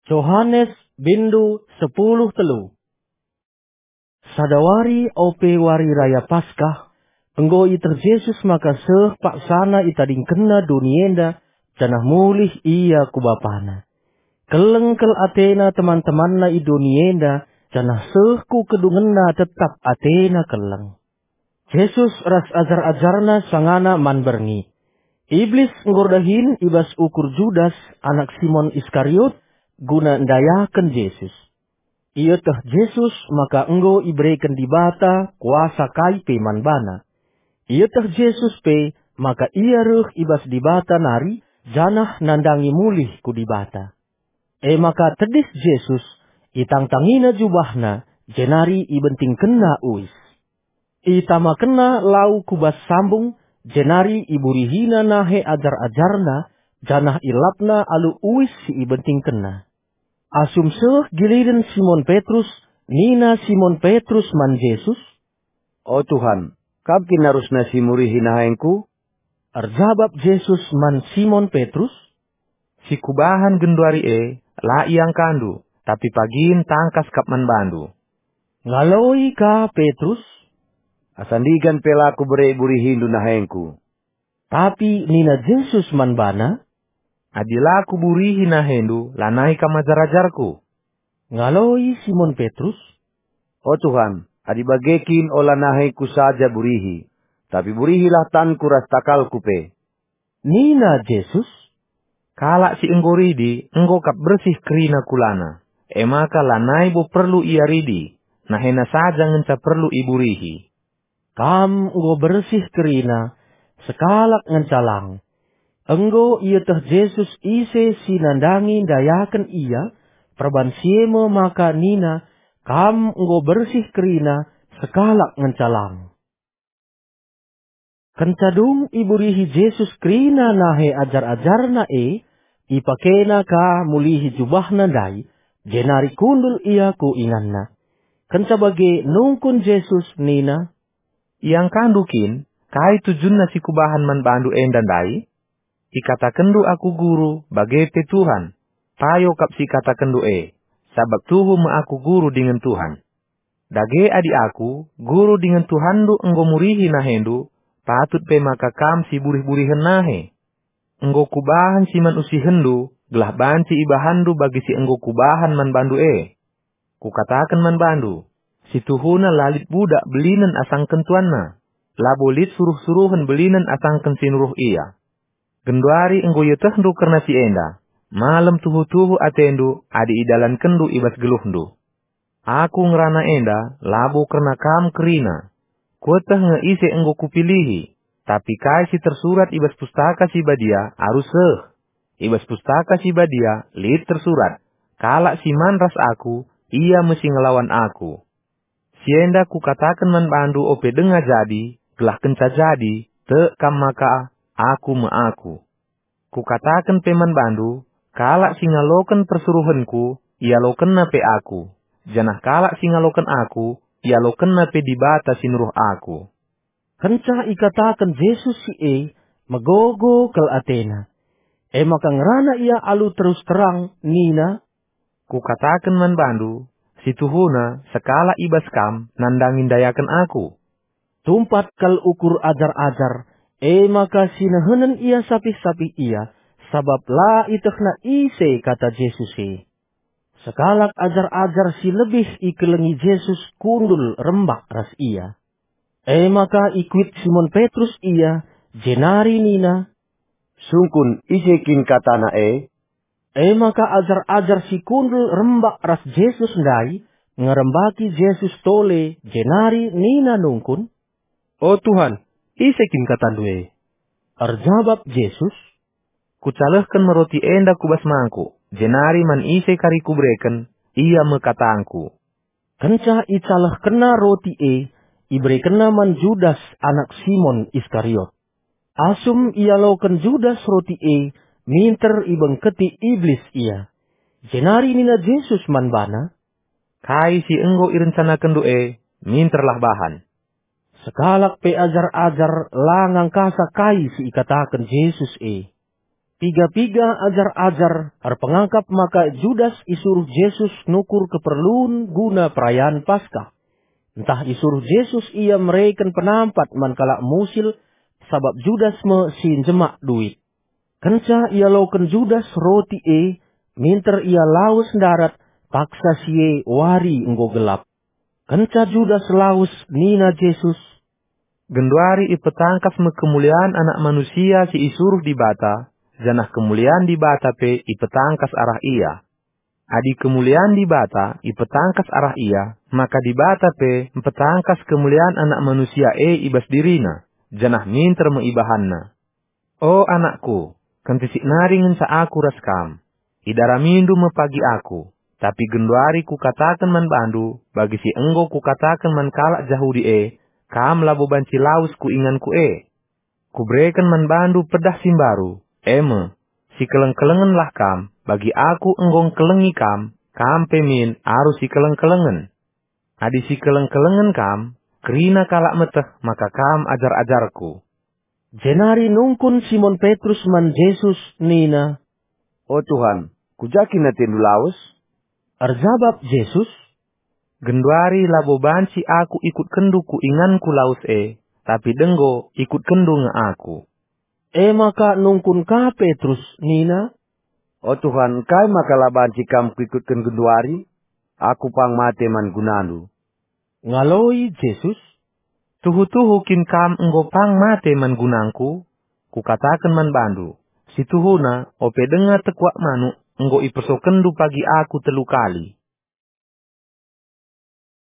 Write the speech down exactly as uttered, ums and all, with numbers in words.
Johanes, bindu sepuluh telu. Sada wari ope wari raya Paskah, enggo ieteh Jesus maka seh paksana itadingkenna doni enda, janah mulih ia ku Bapana. Keleng kal atena teman-temanna i doni enda, janah seh ku kedungenna tetap atena keleng. Jesus ras ajar-ajarna sangana man berngi. Iblis enggo erdahin i bas ukur Judas, anak Simon Iskariot, guna ndayaken Jesus. Ieteh Jesus maka enggo ibereken Dibata kuasa kai pe man bana. Ieteh Jesus pe maka ia reh i bas Dibata nari, janah nandangi mulih ku Dibata. E maka tedis Jesus, itangtangina jubahna, jenari ibentingkenna uis. Itamakenna lau ku bas sambung, jenari iburihina nahe ajar-ajarna, janah ilapna alu uis si ibentingkenna. Asum seh giliren Simon Petrus, nina Simon Petrus man Jesus, "O Tuhan, kam kin arusna si murihi nahengku?" Erjabap Jesus man Simon Petrus, "Si kubahan genduari e, la iangkandu, tapi pagin tangkas kap man bandu." Ngaloi ka Petrus, "Asa ndigan pe la kubere iburihindu nahengku." Tapi nina Jesus man bana, "Adi la kuburihi nahendu, lanai kam ajar-ajarku." Ngaloi Simon Petrus, "O Tuhan, adi bage kin ola nahengku saja burihi, tapi burihilah tanku ras takalku pe." Nina Jesus, "Kalak si enggo ridi enggo kap bersih kerina kulana, e maka lanai bo perlu ia ridi, nahena saja ngenca perlu iburihi." Kam enggo bersih kerina, sekalak ngenca lang. Enggo ieteh Jesus ise si nandangi ndayaken ia, perban si e me maka nina, "Kam enggo bersih kerina, sekalak ngenca lang." Kenca dung iburihi Jesus kerina nahe ajar-ajarna e, ipakena ka mulihi jubahna ndai, jenari kundul ia ku inganna. Kenca bage nungkun Jesus nina, "Iangkandu kin kai tujunna si kubahan man bandu enda ndai? Ikatakenndu aku Guru, bage pe Tuhan. Payo kap si ikatakenndu e, sabap tuhu me aku Guru dingen Tuhan. Dage adi aku, Guru dingen Tuhanndu enggo murihi nahendu, patut pe maka kam si burih-burihen nahe. Enggo kubahan si man usihenndu, gelah banci ibahanndu bagi si enggo kubahan man bandu e. Kukataken man bandu, si tuhuna la lit budak belinen asangken tuanna, labo lit suruh-suruhen belinen asangken si nuruh ia. Genduari enggo ietehndu kerna si enda, malem tuhu-tuhu atendu adi idalankenndu i bas geluhndu. Aku ngerana enda labo kerna kam kerina. Kueteh nge ise enggo kupilihi, tapi kai si tersurat i bas Pustaka Si Badia arus seh. I bas Pustaka Si Badia lit tersurat, 'Kalak si man ras aku, ia me si ngelawan aku.' Si enda kukataken man bandu ope denga jadi, gelah kenca jadi, tek kam maka aku me aku. Kukataken pe man bandu, kalak si ngaloken persuruhenku, ialokenna pe aku, janah kalak si ngaloken aku, ialokenna pe Dibata si nuruh aku." Kenca ikataken Jesus si e, megogo kal atena. E maka ngerana ia alu terus terang nina, "Kukataken man bandu, si tuhuna sekalak i bas kam nandangi ndayaken aku." Tumpat kal ukur ajar-ajar, e maka sinehenen ia sapih-sapih ia, sabap la ietehna ise kata Jesus e. Sekalak ajar-ajar si lebih ikelengi Jesus kundul rembak ras ia. E maka ikuit Simon Petrus ia, jenari nina, "Sungkun ise kin katana e?" E maka ajar-ajar si kundul rembak ras Jesus ndai ngerembaki Jesus tole, jenari nina nungkun, "O Tuhan, ise kin katandu e?" Erjabap Jesus, "Kucalehken me roti enda ku bas mangkuk, jenari man ise kari kubereken, ia me katangku." Kenca icalehkenna roti e, iberekenna man Judas anak Simon Iskariot. Asum ialoken Judas roti e, minter ibengketi Iblis ia. Jenari nina Jesus man bana, "Kai si enggo irencanakenndu e, minterlah bahan." Sekalak pe ajar-ajar la ngangkasa kai si ikataken Jesus e. Piga-piga ajar-ajar erpengakap maka Judas isuruh Jesus nukur keperlun guna perayaan Paskah. Ntah isuruh Jesus ia mereken penampat man kalak musil, sabap Judas me si njemak duit. Kenca ialoken Judas roti e, minter ia lawes ndarat, paksa si e wari enggo gelap. Kenca Judas lawes, nina Jesus, "Genduari ipetangkas me kemulian Anak Manusia si isuruh Dibata, janah kemulian Dibata pe ipetangkas arah Ia. Adi kemulian Dibata ipetangkas arah Ia, maka Dibata pe mpetangkas kemulian Anak Manusia e i bas diriNa, janah minter me ibahanNa. O anakku, kentisik nari ngenca Aku ras kam. Idaramindu me pagi Aku, tapi genduari Kukataken man bandu, bagi si enggo Kukataken man kalak Jahudi e, kam labo banci lawes ku inganKu e. Kubereken man bandu pedah si mbaru, e me, sikeleng-kelengenlah kam, bagi Aku enggo ngkelengi kam, kam pe min arus sikeleng-kelengen. Adi sikeleng-kelengen kam, kerina kalak meteh maka kam ajar-ajarKu." Jenari nungkun Simon Petrus man Jesus nina, "O Tuhan, ku ja kin atendu lawes?" Erjabap Jesus, "Genduari labo banci Aku ikutkenndu ku inganKu lawes e, tapi denggo ikutkenndu nge Aku." E maka nungkun ka Petrus nina, "O Tuhan, engkai maka la banci Kam kuikutken genduari? Aku pang mate man gunandu." Ngaloi Jesus, "Tuhu-tuhu kin Kam enggo pang mate man gunangKu? Kukataken man bandu, situhuna, ope denga tekuak manuk, enggo ipersokenndu pagi Aku telu kali."